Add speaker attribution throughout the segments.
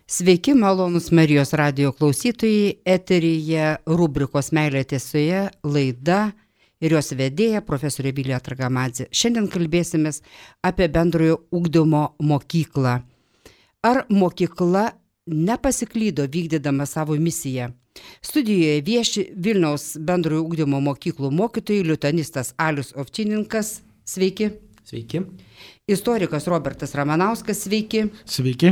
Speaker 1: Sveiki, malonus Marijos radijo klausytojai, eteryje rubrikos Meilė tiesoje laida ir jos vedėja profesorė Vilija Tragamadzė. Šiandien kalbėsimės apie bendrojo ugdymo mokyklą. Ar mokykla nepasiklydo vykdydama savo misiją? Studijoje vieši Vilniaus bendrojo ugdymo mokyklų mokytojai, lituanistas Alius Ovčininkas. Sveiki.
Speaker 2: Sveiki.
Speaker 1: Istorikas Robertas Ramanauskas, sveiki.
Speaker 3: Sveiki.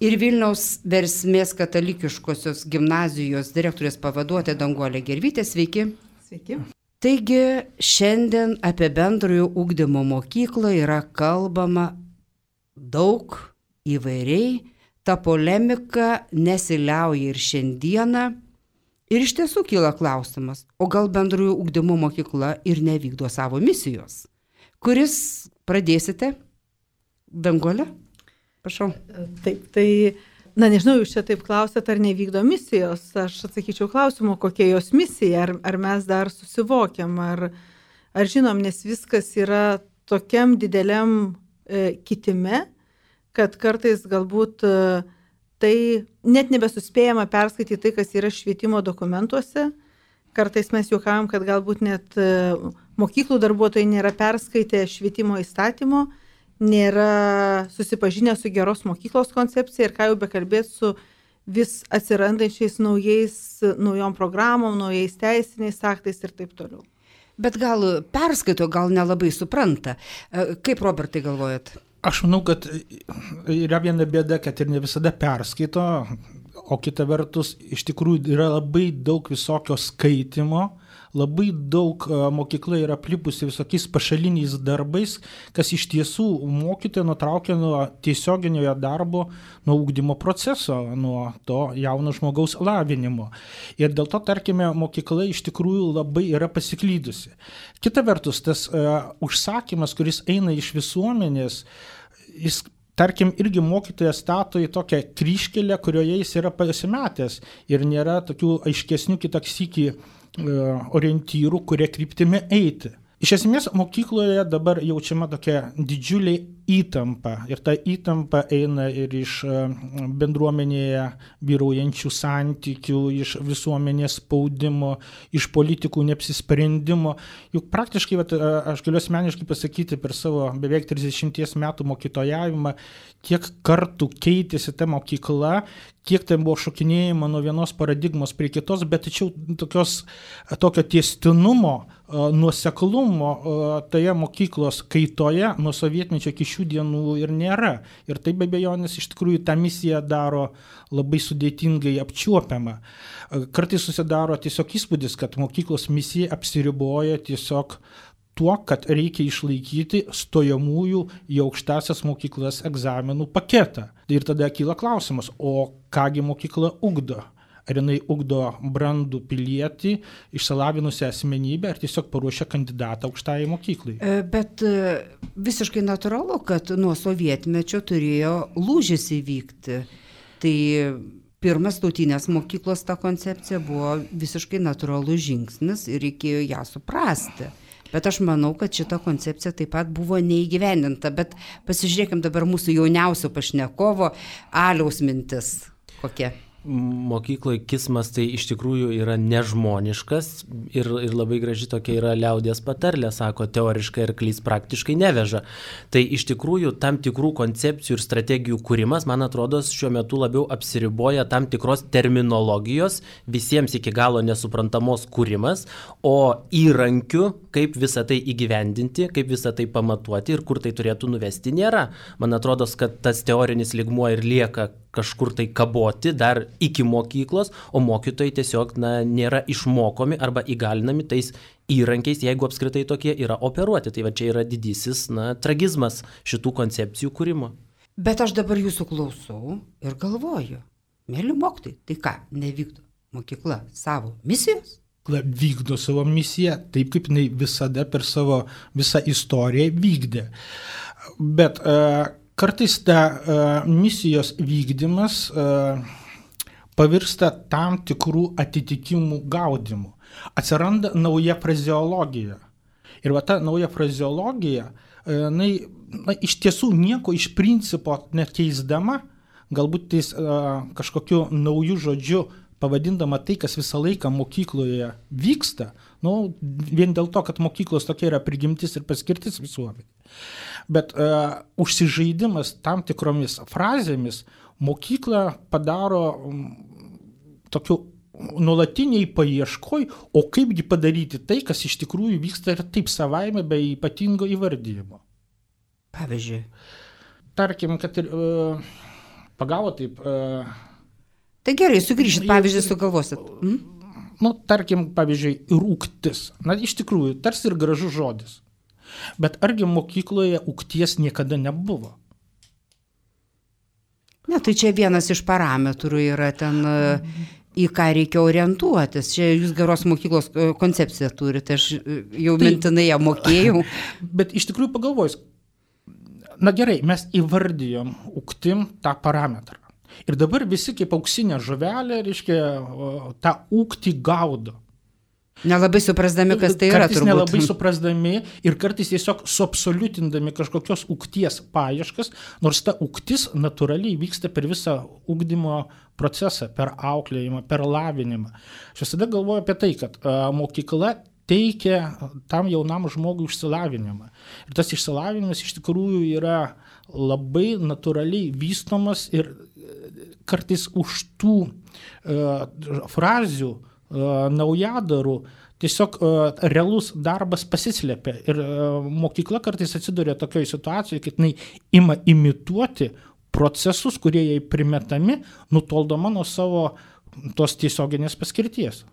Speaker 1: Ir Vilniaus Versmės katalikiškosios gimnazijos direktorės pavaduotoja Danguolė Gervytė, sveiki.
Speaker 4: Sveiki.
Speaker 1: Taigi šiandien apie bendrojo ugdymo mokyklą yra kalbama daug įvairiai, ta polemika nesiliauja ir šiandieną. Ir iš tiesų kyla klausimas, o gal bendrojo ugdymo mokykla ir nevykdo savo misijos? Kuris pradėsite? Danguolė? Prašau.
Speaker 4: Taip, nežinau, jūs čia taip klausėt, ar nevykdo misijos. Aš atsakyčiau klausimu, kokia jos misija, ar mes dar susivokiam, ar žinom, nes viskas yra tokiam dideliam kitime, kad kartais galbūt tai net nebesuspėjama perskaityti tai, kas yra švietimo dokumentuose. Kartais mes juokavom, kad galbūt net mokyklų darbuotojai nėra perskaitę švietimo įstatymo, nėra susipažinę su geros mokyklos koncepcija ir ką jau bekalbėti su vis atsirandančiais naujom programom, naujais teisiniais aktais ir taip toliau.
Speaker 1: Bet gal perskaito, gal nelabai supranta. Kaip, Robertai, galvojat?
Speaker 3: Aš manau, kad yra viena bėda, kad ir ne visada perskaito, o kita vertus iš tikrųjų yra labai daug visokio skaitimo, labai daug mokykla yra aplipusi visokiais pašaliniais darbais, kas iš tiesų mokytoją nutraukia nuo tiesioginio darbo, nuo ugdymo proceso, nuo to jauno žmogaus lavinimo. Ir dėl to, tarkime, mokykla iš tikrųjų labai yra pasiklydusi. Kita vertus, tas užsakymas, kuris eina iš visuomenės, jis tarkim, irgi mokytojas stato į tokią kryžkelę, kurioje jis yra pasimetęs ir nėra tokių aiškesnių kitaksykį orientyrų, kurie kryptimi eiti. Iš esmės, mokykloje dabar jaučiama tokia didžiulė įtampa ir ta įtampa eina ir iš bendruomenėje vyraujančių santykių, iš visuomenės spaudimo, iš politikų neapsisprendimo. Juk praktiškai, aš galiu asmeniškai pasakyti, per savo beveik 30 metų mokytojavimą, kiek kartų keitėsi ta mokykla, kiek ten buvo šokinėjama nuo vienos paradigmos prie kitos, bet tačiau tokio tęstinumo, nuoseklumo toje mokyklos kaitoje nuo sovietmečio iki šių dienų ir nėra. Ir tai be abejonės iš tikrųjų tą misiją daro labai sudėtingai apčiuopiama. Kartais susidaro tiesiog įspūdis, kad mokyklos misija apsiriboja tiesiog tuo, kad reikia išlaikyti stojamųjų į aukštąsias mokyklas egzaminų paketą. Ir tada kyla klausimas, o kągi mokykla ugdo? Ar jinai ugdo brandų pilietį, išsilavinusią asmenybę, ar tiesiog paruošia kandidatą aukštajai mokyklai?
Speaker 1: Bet visiškai natūralu, kad nuo sovietmečio turėjo lūžis įvykti. Tai pirmas tautinės mokyklos ta koncepcija buvo visiškai natūralus žingsnis ir reikėjo ją suprasti. Bet aš manau, kad šita koncepcija taip pat buvo neįgyvendinta. Bet pasižiūrėkim dabar mūsų jauniausio pašnekovo Aliaus mintis. Kokia?
Speaker 2: Mokykloje kismas tai iš tikrųjų yra nežmoniškas ir labai graži tokia yra liaudies patarlė, sako, teoriškai arklys praktiškai neveža. Tai iš tikrųjų tam tikrų koncepcijų ir strategijų kūrimas, man atrodo, šiuo metu labiau apsiriboja tam tikros terminologijos, visiems iki galo nesuprantamos kūrimas, o įrankių, kaip visą tai įgyvendinti, kaip visą tai pamatuoti ir kur tai turėtų nuvesti, nėra. Man atrodo, kad tas teorinis lygmuo ir lieka kažkur tai kaboti dar iki mokyklos, o mokytojai tiesiog nėra išmokomi arba įgalinami tais įrankiais, jeigu apskritai tokie yra operuoti. Tai va čia yra didysis tragizmas šitų koncepcijų kūrimo.
Speaker 1: Bet aš dabar jūsų klausau ir galvoju, mėly mokytojai, tai ką, nevykdo mokykla savo misijos?
Speaker 3: Vykdo savo misiją taip, kaip jinai visada per savo visą istoriją vykdė. Bet kartais ta misijos vykdymas pavirsta tam tikrų atitikimų gaudimu. Atsiranda nauja frazeologija. Ir va ta nauja frazeologija, iš tiesų nieko iš principo nekeisdama, galbūt tais kažkokiu nauju žodžiu pavadindama tai, kas visą laiką mokykloje vyksta, vien dėl to, kad mokyklos tokia yra prigimtis ir paskirtis visuomenė. Bet užsižaidimas tam tikromis frazėmis mokyklą padaro tokiu nuolatiniai paieškoj, o kaipgi padaryti tai, kas iš tikrųjų vyksta ir taip savaime be ypatingo įvardyjimo.
Speaker 1: Pavyzdžiui.
Speaker 3: Tarkim, kad ir pagavo taip.
Speaker 1: Tai gerai, sugrįžit, pavyzdžiui, sugalvosit.
Speaker 3: Tarkim, pavyzdžiui, ir ūktis. Iš tikrųjų, tarsi ir gražus žodis. Bet argi mokykloje ūkties niekada nebuvo?
Speaker 1: Ne, tai čia vienas iš parametrų yra ten, į ką reikia orientuotis. Čia jūs geros mokyklos koncepciją turite, aš jau mintinai ją mokėjau.
Speaker 3: Bet iš tikrųjų pagalvojus, gerai, mes įvardijom ūktim tą parametrą. Ir dabar visi kaip auksinė žuvelė, reiškia, tą ūktį gaudo.
Speaker 1: Nelabai suprasdami, kas tai yra,
Speaker 3: turbūt. Kartais nelabai suprasdami ir kartais tiesiog suabsoliutindami kažkokios ūkties paieškas, nors ta ūktis natūraliai vyksta per visą ugdymo procesą, per auklėjimą, per lavinimą. Aš visada galvoju apie tai, kad mokykla teikia tam jaunam žmogui išsilavinimą. Ir tas išsilavinimas iš tikrųjų yra labai natūraliai vystomas ir kartais už tų frazių naujadarų tiesiog realus darbas pasislėpia. Ir mokykla kartais atsiduria tokioje situacijoje, kad jinai ima imituoti procesus, kurie jai primetami, nutoldama nuo savo tos tiesioginės paskirties.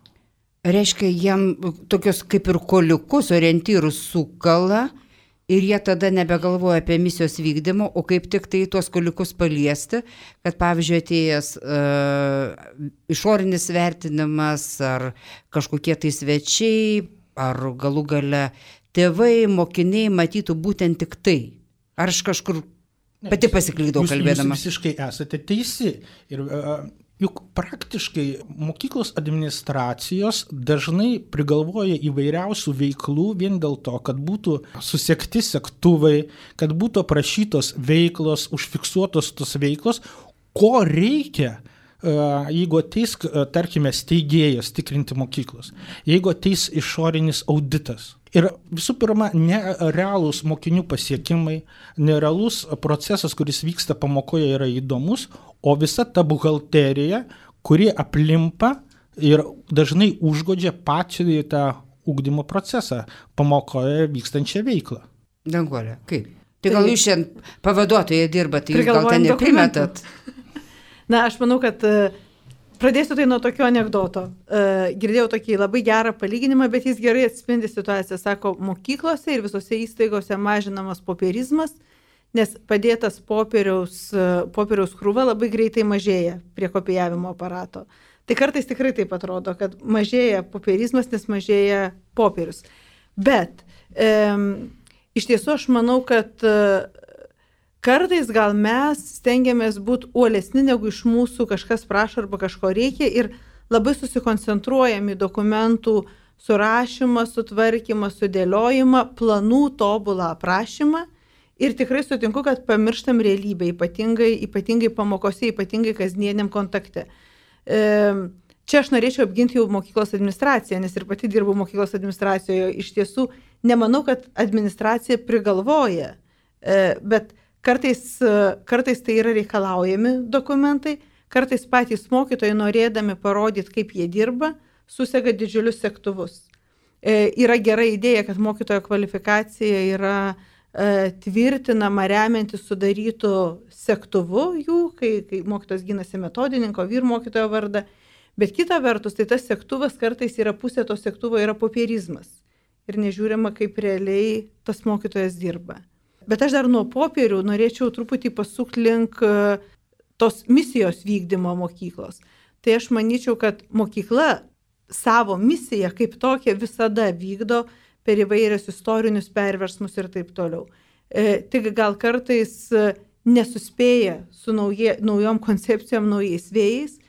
Speaker 1: Reiškia, jiem tokios kaip ir koliukus, orientyrus sukala ir jie tada nebegalvoja apie misijos vykdymą, o kaip tik tai tuos koliukus paliesti, kad pavyzdžiui atėjęs išorinis vertinimas ar kažkokie tai svečiai, ar galų gale tėvai, mokiniai matytų būtent tik tai. Ar aš kažkur pati pasiklydau kalbėdama?
Speaker 3: Jūs visiškai esate teisi. Ir juk praktiškai mokyklos administracijos dažnai prigalvoja įvairiausių veiklų vien dėl to, kad būtų susekti sektuvai, kad būtų aprašytos veiklos, užfiksuotos tos veiklos, ko reikia, jeigu ateis, tarkime, steigėjas tikrinti mokyklos, jeigu ateis išorinis auditas. Ir visų pirma, nerealūs mokinių pasiekimai, nerealus procesas, kuris vyksta pamokoje, yra įdomus, o visa ta buhalterija, kuri aplimpa ir dažnai užgodžia pačią tą ugdymo procesą, pamokoje vykstančią veiklą.
Speaker 1: Danguolė, kaip? Tai gal jūs šiandien pavaduotoje dirbate, jūs gal ten neprimetat?
Speaker 4: Na, aš manau, kad pradėsiu tai nuo tokio anekdoto. Girdėjau tokį labai gerą palyginimą, bet jis gerai atspindi situaciją. Sako, mokyklose ir visose įstaigose mažinamas popierizmas, nes padėtas popieriaus krūva labai greitai mažėja prie kopijavimo aparato. Tai kartais tikrai taip atrodo, kad mažėja popierizmas, nes mažėja popierius. Bet iš tiesų aš manau, kad kartais gal mes stengiamės būti uolesni, negu iš mūsų kažkas prašo arba kažko reikia ir labai susikoncentruojam į dokumentų surašymą, sutvarkymą, sudėliojimą, planų tobulą aprašymą ir tikrai sutinku, kad pamirštam realybę, ypatingai pamokose, ypatingai kasdieniam kontakte. Čia aš norėčiau apginti jau mokyklos administraciją, nes ir pati dirbu mokyklos administracijoje. Iš tiesų, nemanau, kad administracija prigalvoja, bet kartais tai yra reikalaujami dokumentai, kartais patys mokytojai norėdami parodyti, kaip jie dirba, susega didžiulius sektuvus. Yra gera idėja, kad mokytojo kvalifikacija yra tvirtinama remiantis sudarytų sektuvu jų, kai mokytojas ginasi metodininko, vyr mokytojo vardą, bet kita vertus, tai tas sektuvas kartais yra pusė to sektuvo yra popierizmas ir nežiūrima, kaip realiai tas mokytojas dirba. Bet aš dar nuo popierių norėčiau truputį pasukti link tos misijos vykdymo mokyklos. Tai aš manyčiau, kad mokykla savo misiją kaip tokią visada vykdo per įvairius istorinius perversmus ir taip toliau. Tik gal kartais nesuspėja su naujom koncepcijom, naujais vėjais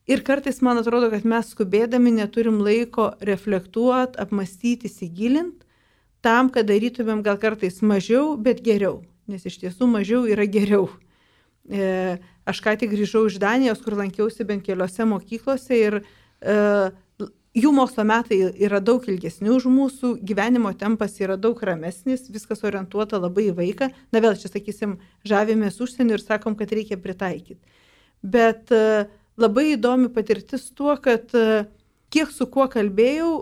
Speaker 4: ir kartais man atrodo, kad mes skubėdami neturim laiko reflektuoti, apmastyti, įsigilint, tam, kad darytumėm gal kartais mažiau, bet geriau, nes iš tiesų mažiau yra geriau. Aš ką tik grįžau iš Danijos, kur lankiausi bent keliose mokyklose ir jų mokslo metai yra daug ilgesni už mūsų, gyvenimo tempas yra daug ramesnis, viskas orientuota labai į vaiką. Na vėl čia, sakysim, žavimės užsienį ir sakom, kad reikia pritaikyti. Bet labai įdomi patirtis tuo, kad kiek su kuo kalbėjau,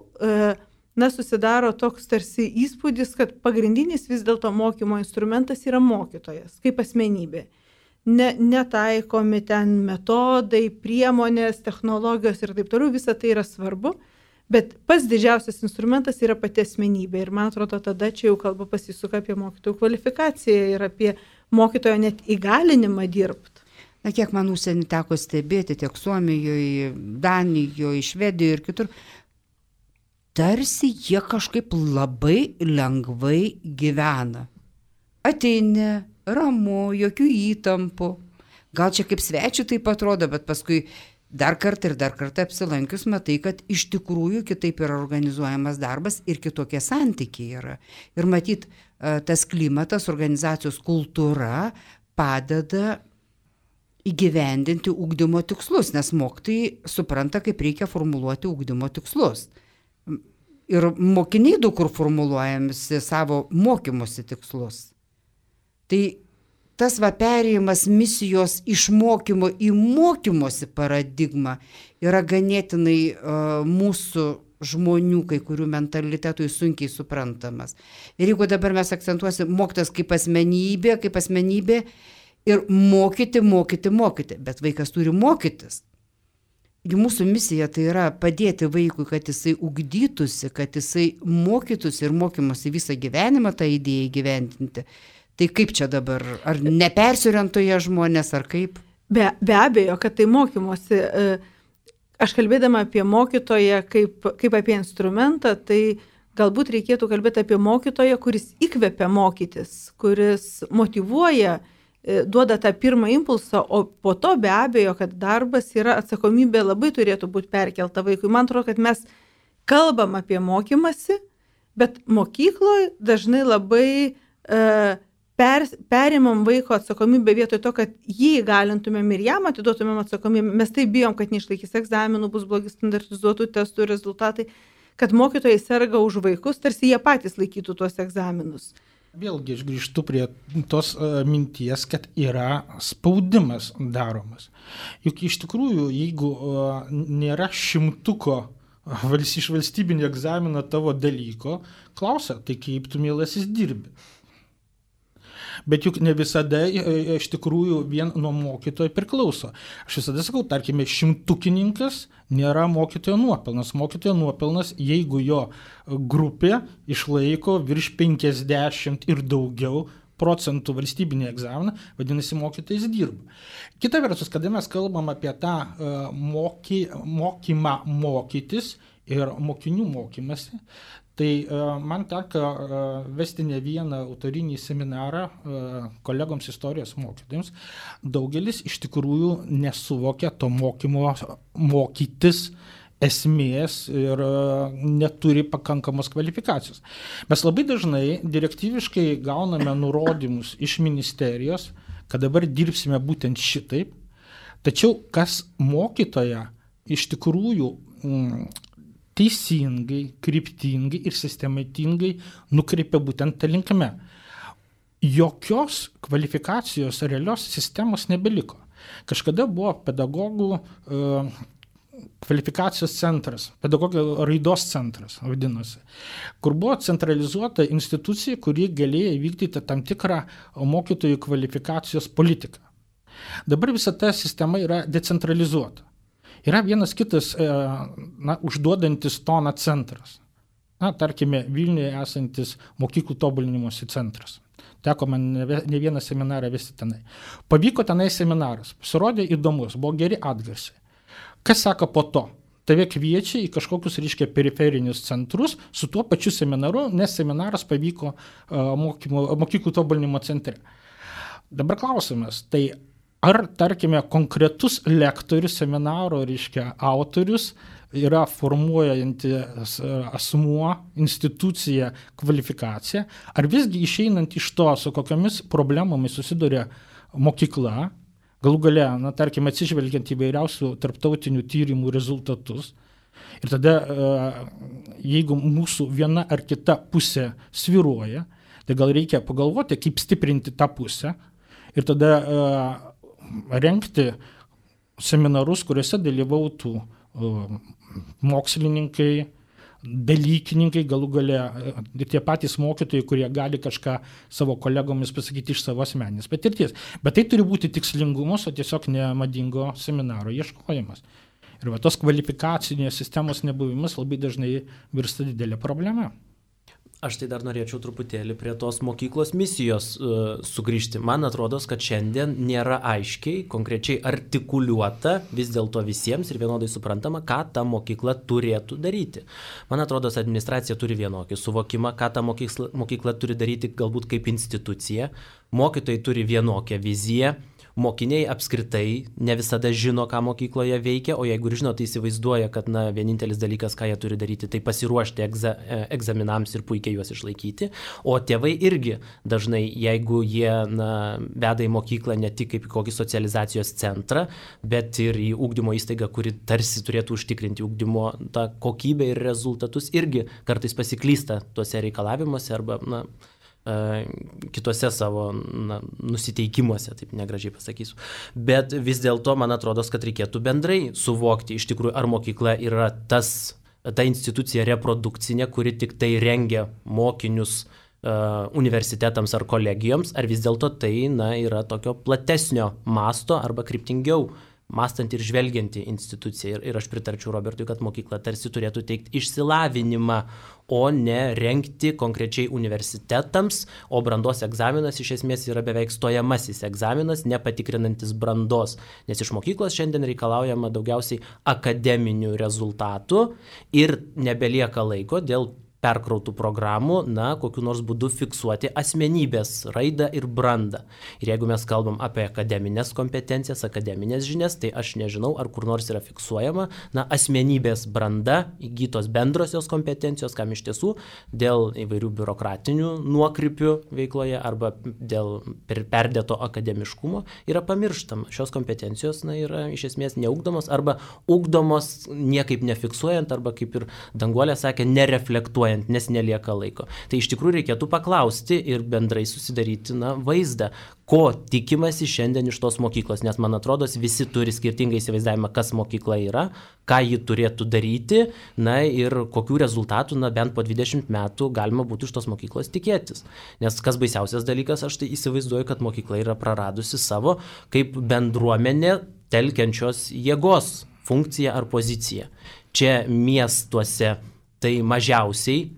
Speaker 4: susidaro toks tarsi įspūdis, kad pagrindinis vis dėlto mokymo instrumentas yra mokytojas, kaip asmenybė. Netaikomi ten metodai, priemonės, technologijos ir taip toliau, visa tai yra svarbu, bet pats didžiausias instrumentas yra pati asmenybė. Ir man atrodo, tada čia jau kalba pasisuka apie mokytojų kvalifikaciją ir apie mokytojo net įgalinimą dirbti.
Speaker 1: Na, kiek man užsienį teko stebėti, tiek Suomijoje, Danijoje, Švedijoje ir kitur, tarsi jie kažkaip labai lengvai gyvena. Ateini, ramu, jokių įtampų. Gal čia kaip svečių taip atrodo, bet paskui dar kartą apsilankius matai, kad iš tikrųjų kitaip yra organizuojamas darbas ir kitokie santykiai yra. Ir matyt, tas klimatas, organizacijos kultūra padeda įgyvendinti ugdymo tikslus, nes mokytojai supranta, kaip reikia formuluoti ugdymo tikslus. Ir mokiniai daug kur formuluojamisi savo mokymosi tikslus. Tai tas perėjimas misijos iš mokymo į mokymosi paradigmą yra ganėtinai mūsų žmonių, kai kurių mentalitetui sunkiai suprantamas. Ir jeigu dabar mes akcentuosim mokytojas kaip asmenybė ir mokyti, bet vaikas turi mokytis. Ir mūsų misija tai yra padėti vaikui, kad jisai ugdytųsi, kad jisai mokytųsi ir mokymosi visą gyvenimą tą idėją įgyvendinti. Tai kaip čia dabar? Ar nepersiorientuoja žmonės, ar kaip?
Speaker 4: Be abejo, kad tai mokymosi. Aš kalbėdama apie mokytoją kaip apie instrumentą, tai galbūt reikėtų kalbėti apie mokytoją, kuris įkvepia mokytis, kuris motyvuoja, duoda tą pirmą impulsą, o po to be abejo, kad darbas yra atsakomybė labai turėtų būti perkelta vaikui. Man atrodo, kad mes kalbam apie mokymasi, bet mokykloje dažnai labai perimam vaiko atsakomybę vietoj to, kad jį įgalintumėm ir jam atiduotumėm atsakomybę. Mes taip bijom, kad neišlaikys egzaminų, bus blogi standartizuotų testų rezultatai, kad mokytojai serga už vaikus, tarsi jie patys laikytų tuos egzaminus.
Speaker 3: Vėlgi aš grįžtu prie tos minties, kad yra spaudimas daromas. Juk iš tikrųjų, jeigu nėra šimtuko iš valstybinio egzamino tavo dalyko, klausia, tai kaip tu mielasis dirbi. Bet juk ne visada iš tikrųjų vien nuo mokytojo priklauso. Aš visada sakau, tarkime, šimtukininkas nėra mokytojo nuopelnas. Mokytojo nuopelnas, jeigu jo grupė išlaiko virš 50 ir daugiau procentų valstybinį egzaminą, vadinasi, mokytojas dirba. Kita vertus, kada mes kalbam apie tą mokymą mokytis ir mokinių mokymasi, tai man teko vesti ne vieną autorinį seminarą kolegoms istorijos mokytojams. Daugelis iš tikrųjų nesuvokia to mokytis esmės ir neturi pakankamos kvalifikacijos. Mes labai dažnai direktyviškai gauname nurodymus iš ministerijos, kad dabar dirbsime būtent šitaip, tačiau kas mokytoją iš tikrųjų teisingai, kryptingai ir sistematingai nukreipia būtent tą linkme. Jokios kvalifikacijos realios sistemos nebeliko. Kažkada buvo pedagogų kvalifikacijos centras, pedagogų raidos centras vadinosi, kur buvo centralizuota institucija, kuri galėjo įvykdyti tam tikrą mokytojų kvalifikacijos politiką. Dabar visa ta sistema yra decentralizuota. Yra vienas kitas užduodantis toną centras. Tarkime, Vilniuje esantis mokyklų tobulinimosi centras. Teko man ne vieną seminarą vesti tenai. Pavyko tenai seminaras. Pasirodė įdomus, buvo geri atgarsiai. Kas sako po to? Tave kviečia į kažkokius, periferinius centrus su tuo pačiu seminaru, nes seminaras pavyko mokyklų tobulinimo centre. Dabar klausimas, tai ar, tarkime, konkretus lektorius, seminaro, autorius yra formuojantis asmuo, institucija, kvalifikacija, ar visgi išeinant iš to, su kokiamis problemomis susiduria mokykla, galų gale, tarkim, atsižvelgiant įvairiausių tarptautinių tyrimų rezultatus. Ir tada, jeigu mūsų viena ar kita pusė svyruoja, tai gal reikia pagalvoti, kaip stiprinti tą pusę ir tada rengti seminarus, kuriuose dalyvautų mokslininkai, dalykininkai, galų gale ir tie patys mokytojai, kurie gali kažką savo kolegomis pasakyti iš savo asmeninės patirties. Bet tai turi būti tikslingumas, o tiesiog nemadingo seminaro ieškojimas. Ir tos kvalifikacinės sistemos nebuvimas labai dažnai virsta didelė problema.
Speaker 2: Aš tai dar norėčiau truputėlį prie tos mokyklos misijos sugrįžti. Man atrodo, kad šiandien nėra aiškiai, konkrečiai artikuliuota vis dėlto visiems ir vienodai suprantama, ką ta mokykla turėtų daryti. Man atrodo, administracija turi vienokį suvokimą, ką ta mokykla turi daryti galbūt kaip institucija. Mokytojai turi vienokią viziją. Mokiniai apskritai ne visada žino, ką mokykloje veikia, o jeigu ir žino, tai įsivaizduoja, kad vienintelis dalykas, ką jie turi daryti, tai pasiruošti egzaminams ir puikiai juos išlaikyti. O tėvai irgi dažnai, jeigu jie veda į mokyklą ne tik kaip į kokį socializacijos centrą, bet ir į ugdymo įstaigą, kuri tarsi turėtų užtikrinti ugdymo tą kokybę ir rezultatus, irgi kartais pasiklysta tuose reikalavimuose arba kitose savo nusiteikimuose, taip negražiai pasakysiu. Bet vis dėlto man atrodo, kad reikėtų bendrai suvokti iš tikrųjų, ar mokykla yra ta institucija reprodukcinė, kuri tik tai rengia mokinius universitetams ar kolegijoms, ar vis dėlto tai yra tokio platesnio masto arba kryptingiau mąstanti ir žvelgianti institucija. Ir aš pritarčiau Robertui, kad mokykla tarsi turėtų teikti išsilavinimą, o ne rengti konkrečiai universitetams, o brandos egzaminas iš esmės yra beveik stojamasis egzaminas, nepatikrinantis brandos, nes iš mokyklos šiandien reikalaujama daugiausiai akademinių rezultatų ir nebelieka laiko dėl perkrautų programų, kokiu nors būdu fiksuoti asmenybės raidą ir brandą. Ir jeigu mes kalbam apie akademinės kompetencijas, akademinės žinias, tai aš nežinau, ar kur nors yra fiksuojama asmenybės branda, įgytos bendrosios kompetencijos, kam iš tiesų dėl įvairių biurokratinių nuokrypių veikloje arba dėl perdėto akademiškumo yra pamirštama. Šios kompetencijos yra iš esmės neugdomos arba ugdomos niekaip nefiksuojant arba, kaip ir Danguolė sakė, nereflektuojant, nes nelieka laiko. Tai iš tikrųjų reikėtų paklausti ir bendrai susidaryti vaizdą, ko tikimasi šiandien iš tos mokyklos, nes man atrodo, visi turi skirtingą įsivaizdavimą, kas mokykla yra, ką ji turėtų daryti, ir kokių rezultatų, bent po 20 metų galima būtų iš tos mokyklos tikėtis. Nes kas baisiausias dalykas, aš tai įsivaizduoju, kad mokykla yra praradusi savo kaip bendruomenė telkiančios jėgos funkciją ar poziciją. Čia miestuose tai mažiausiai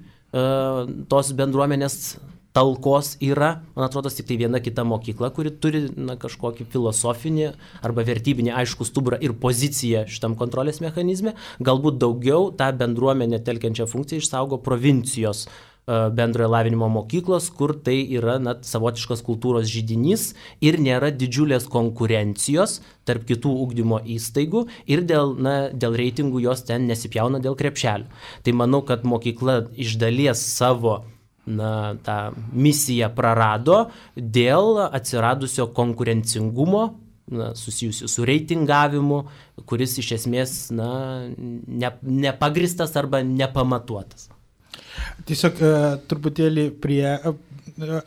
Speaker 2: tos bendruomenės talkos yra, man atrodo, tik tai viena kita mokykla, kuri turi kažkokį filosofinį arba vertybinį aišku stuburą ir poziciją šitam kontrolės mechanizme. Galbūt daugiau tą bendruomenę telkiančią funkciją išsaugo provincijos bendrojo lavinimo mokyklos, kur tai yra savotiškas kultūros židinys ir nėra didžiulės konkurencijos tarp kitų ugdymo įstaigų ir dėl reitingų jos ten nesipjauna dėl krepšelių. Tai manau, kad mokykla iš dalies savo tą misiją prarado dėl atsiradusio konkurencingumo susijusių su reitingavimu, kuris iš esmės nepagristas arba nepamatuotas.
Speaker 3: Tiesiog truputėlį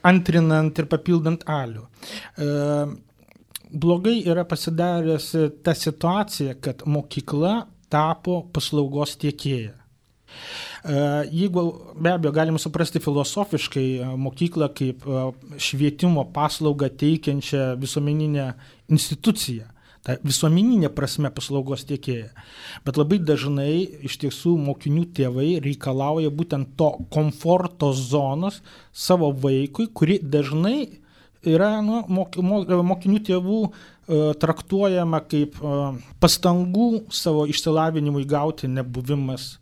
Speaker 3: antrinant ir papildant Alių. Blogai yra pasidaręs ta situacija, kad mokykla tapo paslaugos tiekėja. Jeigu be abejo galima suprasti filosofiškai mokyklą kaip švietimo paslaugą teikiančią visuomeninę instituciją, ta visuomeninė prasme paslaugos tiekėja. Bet labai dažnai iš tiesų mokinių tėvai reikalauja būtent to komforto zonos savo vaikui, kuri dažnai yra mokinių tėvų traktuojama kaip pastangų savo išsilavinimui gauti nebuvimas,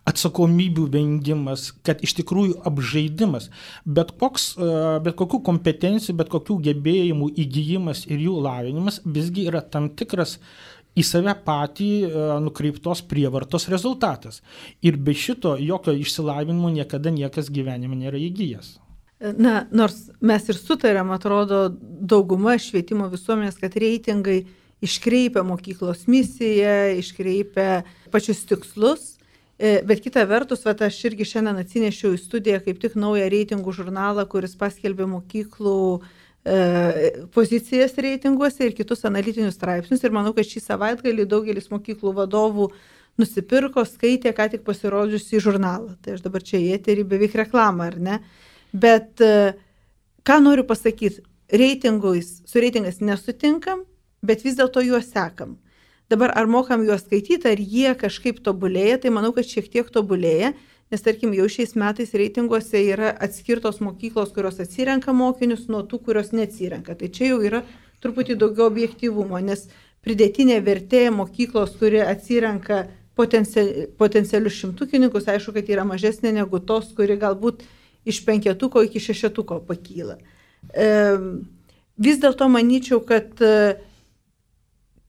Speaker 3: atsakomybių vengimas, kad iš tikrųjų apžaidimas, bet kokių kompetencijų, bet kokių gebėjimų įgijimas ir jų lavinimas visgi yra tam tikras į save patį nukreiptos prievartos rezultatas. Ir be šito jokio išsilavinimo niekada niekas gyvenime nėra įgijęs.
Speaker 4: Na, nors mes ir sutarėm, atrodo, dauguma švietimo visuomenės, kad reitingai iškreipia mokyklos misiją, iškreipia pačius tikslus, bet kita vertus, aš irgi šiandien atsinešiau į studiją kaip tik naują reitingų žurnalą, kuris paskelbė mokyklų pozicijas reitinguose ir kitus analitinius straipsnius. Ir manau, kad šį savaitgalį daugelis mokyklų vadovų nusipirko, skaitė ką tik pasirodžiusį žurnalą. Tai aš dabar čia į eterį beveik reklamą, ar ne? Bet ką noriu pasakyti, su reitingais nesutinkam, bet vis dėlto juos sekam. Dabar ar mokam juos skaityti, ar jie kažkaip tobulėja, tai manau, kad šiek tiek tobulėja, nes tarkim jau šiais metais reitinguose yra atskirtos mokyklos, kurios atsirenka mokinius nuo tų, kurios neatsirenka. Tai čia jau yra truputį daugiau objektyvumo, nes pridėtinė vertė mokyklos, kuri atsirenka potencialius šimtukininkus, aišku, kad yra mažesnė negu tos, kuri galbūt iš 5 iki 6 pakyla. Vis dėlto manyčiau, kad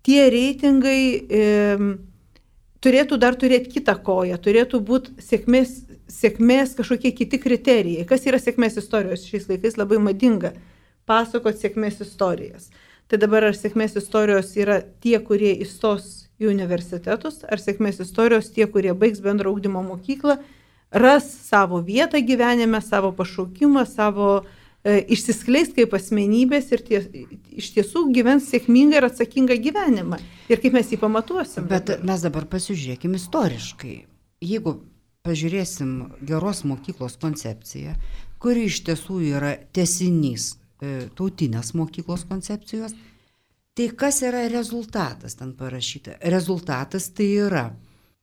Speaker 4: tie reitingai turėtų dar turėti kitą koją, turėtų būti sėkmės kažkokie kiti kriterijai. Kas yra sėkmės istorijos? Šiais laikais labai madinga pasakoti sėkmės istorijas. Tai dabar ar sėkmės istorijos yra tie, kurie įstos į universitetus, ar sėkmės istorijos tie, kurie baigs bendro ugdymo mokyklą, ras savo vietą gyvenime, savo pašaukimą, savo išsiskleis kaip asmenybės ir iš tiesų gyvens sėkmingą ir atsakingą gyvenimą. Ir kaip mes jį pamatuosim.
Speaker 1: Bet mes dabar pasižiūrėkim istoriškai. Jeigu pažiūrėsim geros mokyklos koncepciją, kuri iš tiesų yra tęsinys tautinės mokyklos koncepcijos, tai kas yra rezultatas ten parašyta? Rezultatas tai yra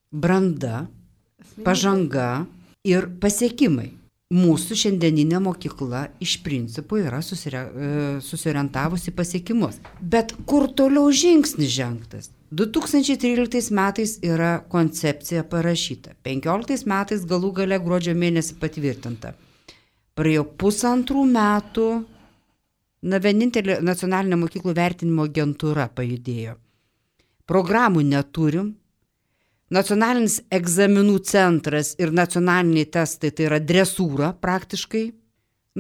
Speaker 1: branda, pažanga ir pasiekimai. Mūsų šiandieninė mokykla iš principo yra susiorientavusi pasiekimus. Bet kur toliau žingsnis žengtas? 2013 metais yra koncepcija parašyta. 2015 metais galų gale gruodžio mėnesį patvirtinta. Praėjo 1,5 metų, vienintelė nacionalinė mokyklų vertinimo agentūra pajudėjo. Programų neturim. Nacionalinis egzaminų centras ir nacionaliniai testai tai yra dresūra praktiškai.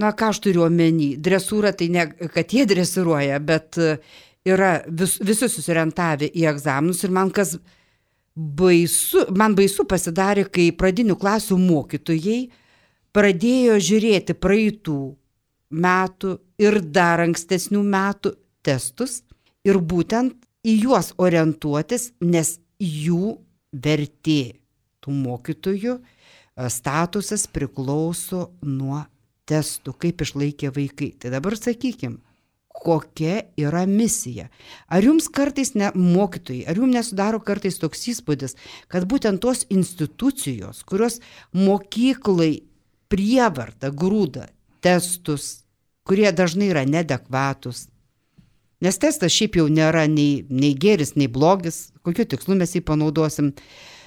Speaker 1: Na, ką aš turiu omeny? Dresūra tai ne, kad jie dresiruoja, bet yra visi susiorientavę į egzaminus ir man baisu pasidarė, kai pradinių klasių mokytojai pradėjo žiūrėti praeitų metų ir dar ankstesnių metų testus ir būtent į juos orientuotis, nes jų vertė tų mokytojų statusas priklauso nuo testų, kaip išlaikė vaikai. Tai dabar sakykim, kokia yra misija. Ar jums kartais mokytojai, ar jums nesudaro kartais toks įspūdis, kad būtent tos institucijos, kurios mokyklai prievarta grūda testus, kurie dažnai yra neadekvatus, nes testas šiaip jau nėra nei geris, nei blogis, kokiu tikslu mes jį panaudosim.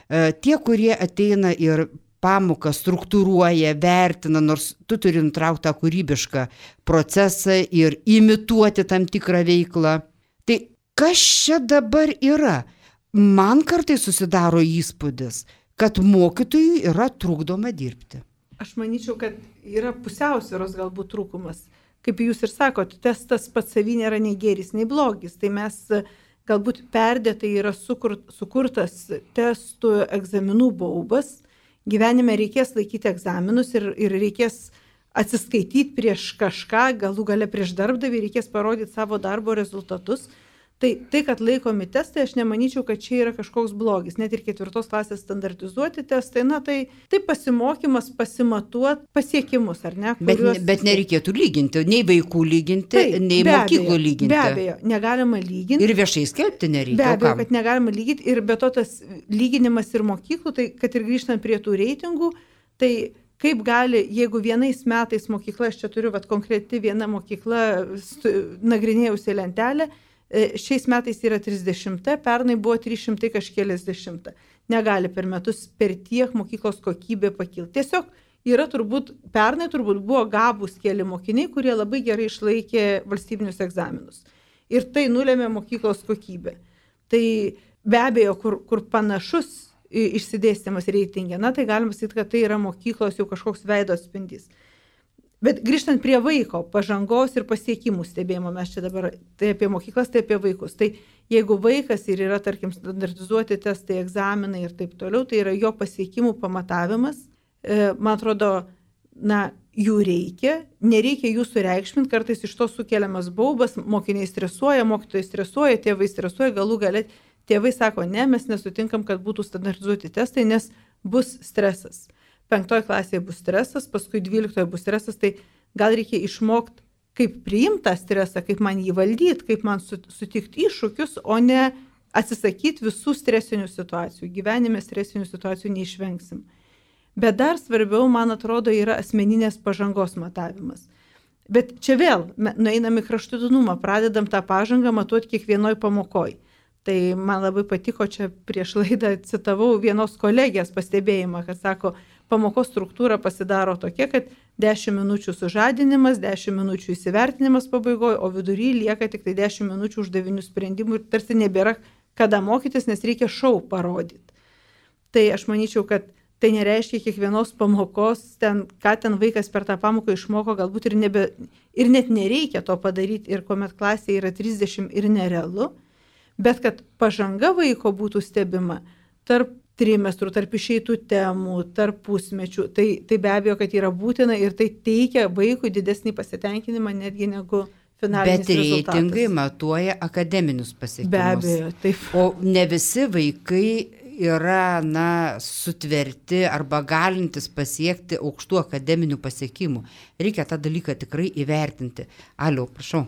Speaker 1: Tie, kurie ateina ir pamoką struktūruoja, vertina, nors tu turi nutraukti tą kūrybišką procesą ir imituoti tam tikrą veiklą. Tai kas čia dabar yra? Man kartais susidaro įspūdis, kad mokytojui yra trukdoma dirbti.
Speaker 4: Aš manyčiau, kad yra pusiausvyros galbūt trūkumas. Kaip jūs ir sakot, testas pats savy nėra nei geris, nei blogis. Tai mes galbūt perdėtai yra sukurtas testų egzaminų baubas. Gyvenime reikės laikyti egzaminus ir reikės atsiskaityti prieš kažką, galų gale prieš darbdavį, reikės parodyti savo darbo rezultatus. Tai, kad laikomi testai, aš nemanyčiau, kad čia yra kažkoks blogis. Net ir 4 klasės standartizuoti testai, tai pasimokymas, pasimatuot pasiekimus, ar ne?
Speaker 1: Kuriuos... Bet nereikėtų lyginti, nei vaikų lyginti, nei mokyklų lyginti.
Speaker 4: Be abejo, negalima lyginti.
Speaker 1: Ir viešai skelbti nereikia.
Speaker 4: Be abejo, kad negalima lyginti. Ir be to tas lyginimas ir mokyklų, tai kad ir grįžtant prie tų reitingų, tai kaip gali, jeigu vienais metais mokykla, aš čia turiu konkreti viena mokykla, nagrinėjusi lentelę, šiais metais yra 30, pernai buvo 300 kažkėliasdešimt. Negali per metus per tiek mokyklos kokybė pakilti. Tiesiog yra pernai buvo gabūs keli mokiniai, kurie labai gerai išlaikė valstybinius egzaminus. Ir tai nulėmė mokyklos kokybę. Tai be abejo, kur panašus išsidėstymas reitingė, tai galima sakyti, kad tai yra mokyklos jau kažkoks veido atspindys. Bet grįžtant prie vaiko pažangos ir pasiekimų stebėjimo, mes čia dabar tai apie mokyklas, tai apie vaikus. Tai jeigu vaikas ir yra, tarkim, standartizuoti testai, egzaminai ir taip toliau, tai yra jo pasiekimų pamatavimas. Man atrodo, jų reikia, nereikia jų sureikšminti, kartais iš to sukeliamas baubas, mokiniai stresuoja, mokytojai stresuoja, tėvai stresuoja, galų galia tėvai sako, ne, mes nesutinkam, kad būtų standartizuoti testai, nes bus stresas. 5 klasėje bus stresas, paskui 12 bus stresas, tai gal reikia išmokti, kaip priimti tą stresą, kaip man jį valdyti, kaip man sutikti iššūkius, o ne atsisakyti visų stresinių situacijų. Gyvenime stresinių situacijų neišvengsim. Bet dar svarbiau, man atrodo, yra asmeninės pažangos matavimas. Bet čia vėl, nueinam į kraštutinumą, pradedam tą pažangą matuoti kiekvienoj pamokoj. Tai man labai patiko, čia prieš laidą citavau vienos kolegės pastebėjimą, kad sako, pamokos struktūra pasidaro tokia, kad 10 minučių sužadinimas, 10 minučių įsivertinimas pabaigoje, o vidury lieka tik tai 10 minučių uždavinių sprendimų ir tarsi nebėra kada mokytis, nes reikia šou parodyti. Tai aš manyčiau, kad tai nereiškia kiekvienos pamokos, ką ten vaikas per tą pamoką išmoko, galbūt ir net nereikia to padaryti ir kuomet klasėje yra 30 ir nerealu, bet kad pažanga vaiko būtų stebima tarp trimestrų, tarp išeitų temų, tarp pusmečių, tai be abejo, kad yra būtina ir tai teikia vaikui didesnį pasitenkinimą netgi negu finalinis rezultatas.
Speaker 1: Bet reitingai matuoja akademinius pasiekimus.
Speaker 4: Be abejo, taip.
Speaker 1: O ne visi vaikai yra, sutverti arba galintis pasiekti aukštų akademinių pasiekimų. Reikia tą dalyką tikrai įvertinti. Aliau, prašau.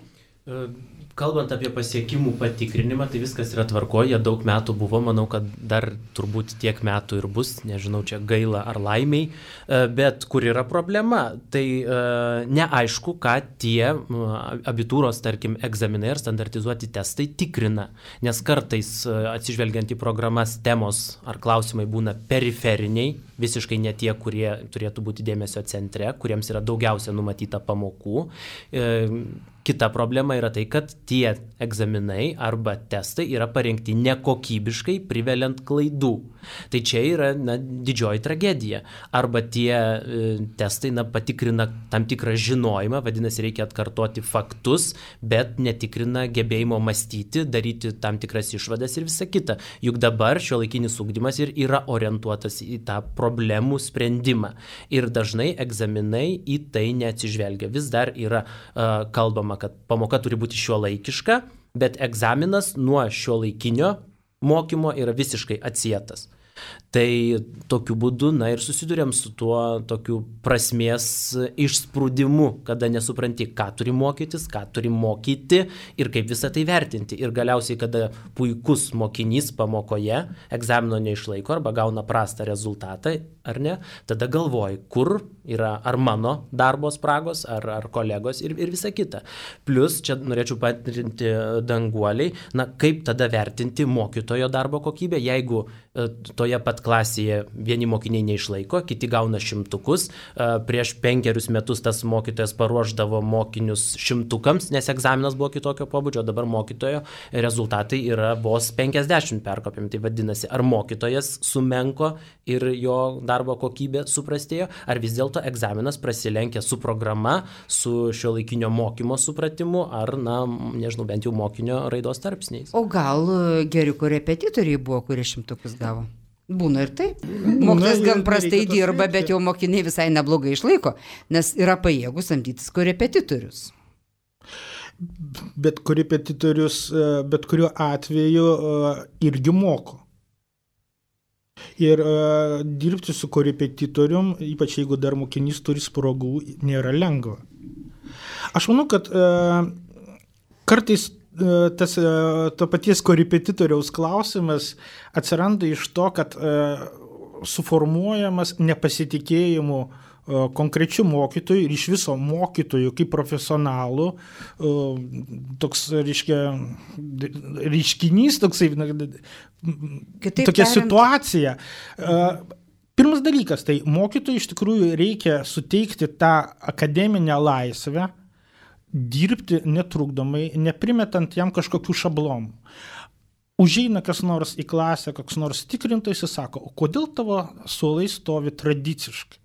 Speaker 2: Kalbant apie pasiekimų patikrinimą, tai viskas yra tvarkoje, daug metų buvo, manau, kad dar turbūt tiek metų ir bus, nežinau, čia gaila ar laimiai, bet kur yra problema, tai neaišku, ką tie abitūros, tarkim, egzaminai ar standartizuoti testai tikrina, nes kartais atsižvelgiant į programas temos ar klausimai būna periferiniai, visiškai ne tie, kurie turėtų būti dėmesio centre, kuriems yra daugiausia numatyta pamokų. Kita problema yra tai, kad tie egzaminai arba testai yra parengti nekokybiškai, priveliant klaidų. Tai čia yra didžioji tragedija. Arba tie testai patikrina tam tikrą žinojimą, vadinasi, reikia atkartoti faktus, bet netikrina gebėjimo mąstyti, daryti tam tikras išvadas ir visa kita. Juk dabar šiuolaikinis ugdymas ir yra orientuotas į tą problemų sprendimą. Ir dažnai egzaminai į tai neatsižvelgia. Vis dar yra kalbama, kad pamoka turi būti šiuolaikiška, bet egzaminas nuo šiuolaikinio mokymo yra visiškai atsietas. Tai tokiu būdu, ir susidurėm su tuo tokiu prasmės išsprūdimu, kada nesupranti, ką turi mokytis, ką turi mokyti ir kaip visą tai vertinti. Ir galiausiai, kada puikus mokinys pamokoje egzamino neišlaiko arba gauna prastą rezultatą, ar ne, tada galvoji, kur yra ar mano darbo spragos, ar kolegos ir visa kita. Plus, čia norėčiau patrinti Danguoliai, kaip tada vertinti mokytojo darbo kokybę, jeigu toje pat klasėje vieni mokiniai neišlaiko, kiti gauna 100. Prieš 5 metus tas mokytojas paruošdavo mokinius 100, nes egzaminas buvo kitokio pobūdžio, dabar mokytojo rezultatai yra vos 50 perkopėm. Tai vadinasi, ar mokytojas sumenko ir jo darbo kokybė suprastėjo, ar vis dėlto egzaminas prasilenkia su programa, su šiuolaikinio mokymo supratimu, ar, nežinau, bent jau mokinio raidos tarpsniais.
Speaker 1: O gal geri korepetitoriai buvo, kurie 100 gavo? Būna ir taip. Mokytojas gan prastai dirba, bet jau mokiniai visai neblogai išlaiko, nes yra pajėgus samdytis korepetitorius.
Speaker 3: Bet korepetitorius bet kuriuo atveju irgi moko. Ir dirbti su korepetitorium, ypač jeigu dar mokinys turi spragų, nėra lengva. Aš manau, kad kartais to paties korepetitoriaus klausimas atsiranda iš to, kad suformuojamas nepasitikėjimu konkrečių mokytojų ir iš viso mokytojų kaip profesionalų toks, reiškinys, tokia situacija. Pirmas dalykas, tai mokytojui iš tikrųjų reikia suteikti tą akademinę laisvę, dirbti netrukdomai, neprimetant jam kažkokių šablonų. Užeina kas nors į klasę, koks nors tikrintojas, jis sako, o kodėl tavo suolai stovi tradiciškai?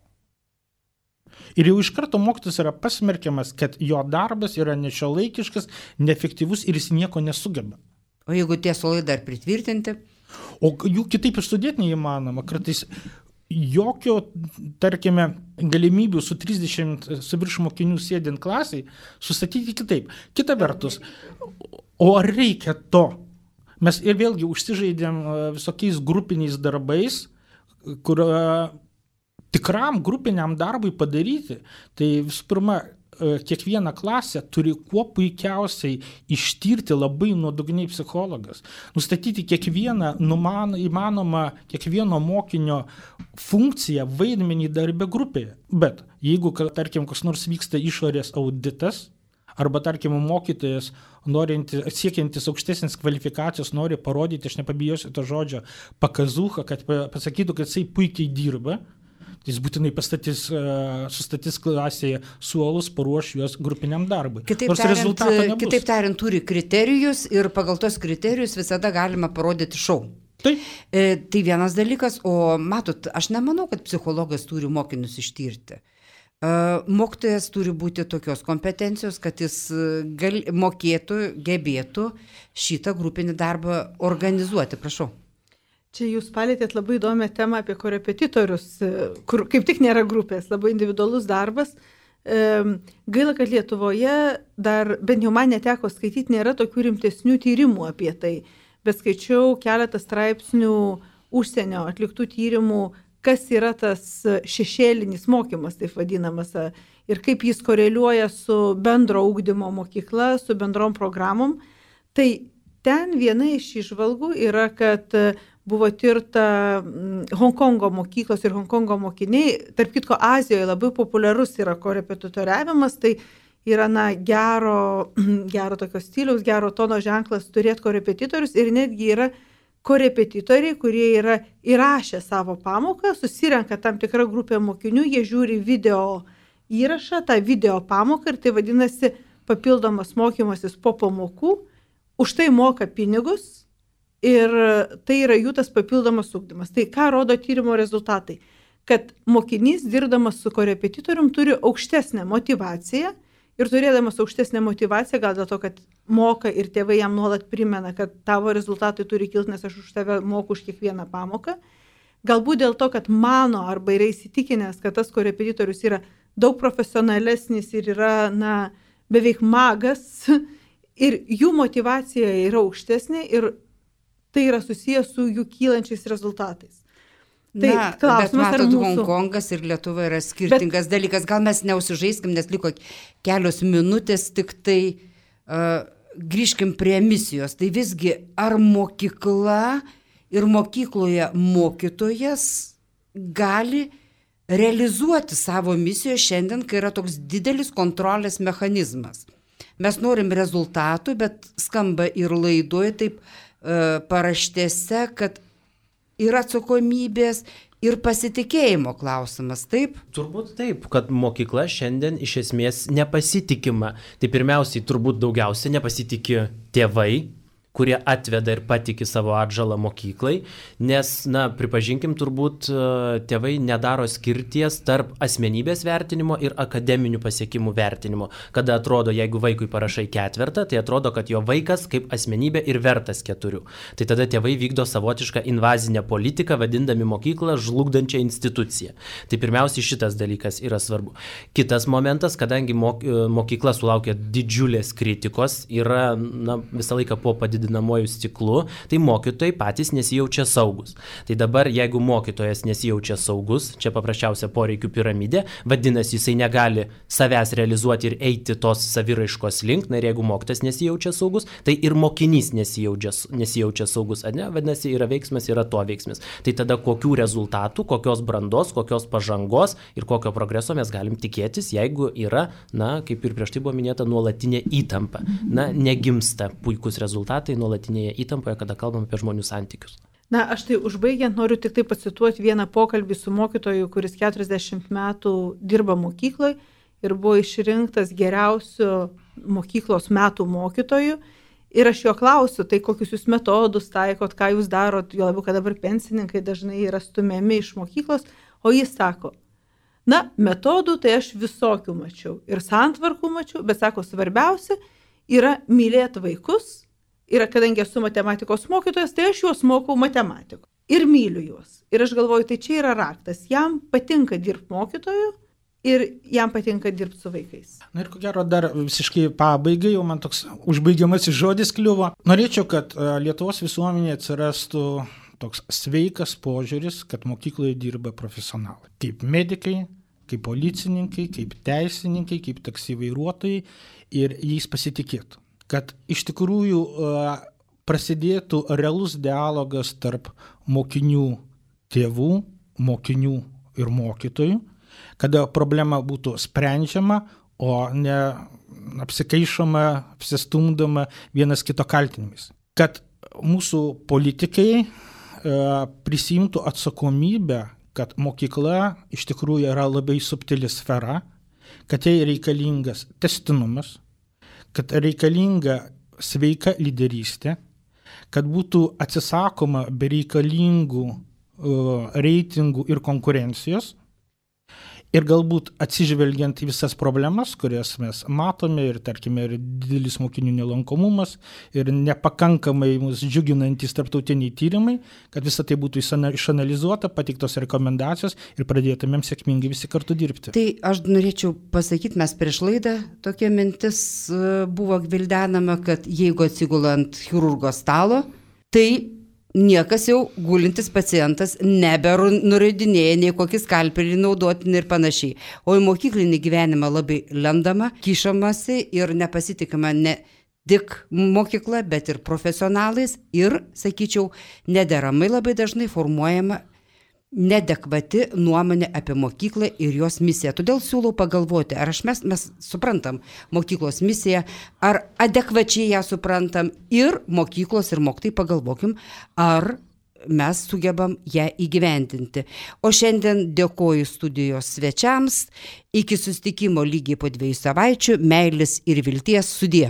Speaker 3: Ir jau iš karto mokytojas yra pasmerkiamas, kad jo darbas yra nešiuolaikiškas, neefektyvus ir jis nieko nesugeba.
Speaker 1: O jeigu tie suolai dar pritvirtinti?
Speaker 3: O jų kitaip išsudėti neįmanoma. Kartais jokio, tarkime, galimybių su 30 su virš mokinių sėdint klasiai sustatyti kitaip. Kita vertus, o ar reikia to? Mes ir vėlgi užsižaidėm visokiais grupiniais darbais, kur tikram grupiniam darbui padaryti, tai visų pirma, kiekvieną klasę turi kuo puikiausiai ištirti labai nuodugniai psichologas, nustatyti kiekvieną įmanomą kiekvieno mokinio funkciją, vaidmenį darbe grupėje. Bet jeigu, tarkim, kas nors vyksta išorės auditas, arba, tarkim, mokytojas, siekiantis aukštesnės kvalifikacijos, nori parodyti, aš nepabijosiu to žodžio, pakazuchą, kad pasakytų, kad jisai puikiai dirba, jis būtinai sustatys klasėje suolus, paruoš juos grupiniam darbui.
Speaker 1: Kitaip tariant, turi kriterijus ir pagal tos kriterijus visada galima parodyti šou.
Speaker 3: Taip.
Speaker 1: Tai vienas dalykas, o matot, aš nemanau, kad psichologas turi mokinius ištirti. Mokytojas turi būti tokios kompetencijos, kad jis mokėtų, gebėtų šitą grupinį darbą organizuoti. Prašau.
Speaker 4: Čia jūs palėtėt labai įdomią temą apie korepetitorius, kur kaip tik nėra grupės, labai individualus darbas. Gaila, kad Lietuvoje dar, bent jau man neteko skaityti, nėra tokių rimtesnių tyrimų apie tai, bet skaičiau keletą straipsnių užsienio atliktų tyrimų, kas yra tas šešėlinis mokymas, taip vadinamas, ir kaip jis koreliuoja su bendro ugdymo mokykla, su bendrom programom. Tai ten viena iš įžvalgų yra, kad buvo tirta Honkongo mokyklos ir Honkongo mokiniai. Tarp kitko, Azijoje labai populiarus yra korepetitoriavimas, tai yra gero tokio stiliaus, gero tono ženklas turėti korepetitorius ir netgi yra korepetitoriai, kurie yra įrašę savo pamoką, susirenka tam tikrą grupę mokinių, jie žiūri video įrašą, tą video pamoką ir tai vadinasi papildomas mokymasis po pamokų, už tai moka pinigus. Ir tai yra jų tas papildomas ugdymas. Tai ką rodo tyrimo rezultatai? Kad mokinys, dirbdamas su korepetitorium, turi aukštesnę motyvaciją ir turėdamas aukštesnę motyvaciją, gal dėl to, kad moka ir tėvai jam nuolat primena, kad tavo rezultatai turi kilti, nes aš už tave moku už kiekvieną pamoką. Galbūt dėl to, kad mano arba yra įsitikinęs, kad tas korepetitorius yra daug profesionalesnis ir yra beveik magas ir jų motyvacija yra aukštesnė ir tai yra susijęs su jų kylančiais rezultatais. Tai
Speaker 1: bet matot, Honkongas ir Lietuva yra skirtingas dalykas. Gal mes neusižaiskim, nes liko kelios minutės, tik tai grįžkim prie misijos. Tai visgi, ar mokykla ir mokykloje mokytojas gali realizuoti savo misiją šiandien, kai yra toks didelis kontrolės mechanizmas? Mes norim rezultatų, bet skamba ir laidoje taip paraštėse, kad yra atsakomybės ir pasitikėjimo klausimas, taip?
Speaker 2: Turbūt taip, kad mokykla šiandien iš esmės nepasitikima. Tai pirmiausiai turbūt daugiausia nepasitikė tėvai, kurie atveda ir patiki savo atžalą mokyklai, nes, pripažinkim, turbūt tėvai nedaro skirties tarp asmenybės vertinimo ir akademinių pasiekimų vertinimo. Kada atrodo, jeigu vaikui parašai 4, tai atrodo, kad jo vaikas kaip asmenybė ir vertas 4. Tai tada tėvai vykdo savotišką invazinę politiką, vadindami mokyklą žlugdančią instituciją. Tai pirmiausiai šitas dalykas yra svarbu. Kitas momentas, kadangi mokykla sulaukia didžiulės kritikos, yra visą laiką po padidinamojų stiklu, tai mokytojai patys nesijaučia saugus. Tai dabar, jeigu mokytojas nesijaučia saugus, čia paprasčiausia poreikių piramidė, vadinasi, jisai negali savęs realizuoti ir eiti tos saviraiškos link, ir jeigu mokytojas nesijaučia saugus, tai ir mokinys nesijaučia saugus, vadinasi, yra veiksmas, yra to veiksmas. Tai tada kokių rezultatų, kokios brandos, kokios pažangos ir kokio progreso mes galim tikėtis, jeigu yra, kaip ir prieš tai buvo minėta, nuolatinė įtampa. Negimsta puikus rezultatai nuolatinėje įtampoje, kada kalbam apie žmonių santykius.
Speaker 4: Aš tai užbaigiant noriu tik tai pacituoti vieną pokalbį su mokytoju, kuris 40 metų dirba mokykloje ir buvo išrinktas geriausiu mokyklos metų mokytoju. Ir aš jo klausiu, tai kokius jūs metodus taikot, ką jūs darot, jo labiau, kad dabar pensininkai dažnai yra stumiami iš mokyklos, o jis sako, Na, metodų tai aš visokių mačiau ir santvarkų mačiau, bet sako, svarbiausia yra mylėti vaikus. Ir kadangi esu matematikos mokytojas, tai aš juos mokau matematikos. Ir myliu juos. Ir aš galvoju, tai čia yra raktas. Jam patinka dirbti mokytoju ir jam patinka dirbti su vaikais.
Speaker 3: Na ir ko gero dar visiškai pabaigai, jau man toks užbaigiamasis žodis kliuvo. Norėčiau, kad Lietuvos visuomenėje atsirastų toks sveikas požiūris, kad mokykloje dirba profesionalai. Kaip medikai, kaip policininkai, kaip teisininkai, kaip taksi vairuotojai ir jais pasitikėtų. Kad iš tikrųjų prasidėtų realus dialogas tarp mokinių tėvų, mokinių ir mokytojų, kada problema būtų sprendžiama, o ne apsikaišoma, apsistumdoma vienas kito kaltinimais. Kad mūsų politikai prisimtų atsakomybę, kad mokykla iš tikrųjų yra labai subtili sfera, kad jai reikalingas tęstinumas, kad reikalinga sveika lyderystė, kad būtų atsisakoma bereikalingų reitingų ir konkurencijos ir galbūt atsižvelgiant į visas problemas, kurias mes matome ir, tarkime, ir didelis mokinių nelankomumas ir nepakankamai mus džiuginantys tarptautiniai tyrimai, kad visa tai būtų išanalizuota, pateiktos rekomendacijos ir pradėtumėm sėkmingai visi kartu dirbti.
Speaker 1: Tai aš norėčiau pasakyti, mes prieš laidą tokia mintis buvo gvildenama, kad jeigu atsigula ant chirurgo stalo, tai niekas jau gulintis pacientas nebenurodinėja nei kokį skalpelį naudotinį ir panašiai. O į mokyklinį gyvenimą labai lendama, kišamasi ir nepasitikima ne tik mokykla, bet ir profesionalais ir, sakyčiau, nederamai labai dažnai formuojama neadekvati nuomonė apie mokyklą ir jos misiją. Todėl siūlau pagalvoti, ar mes suprantam mokyklos misiją, ar adekvačiai ją suprantam ir mokyklos ir mokytojai pagalvokim, ar mes sugebam ją įgyvendinti. O šiandien dėkoju studijos svečiams. Iki susitikimo lygiai po 2 savaičių. Meilės ir vilties, sudie.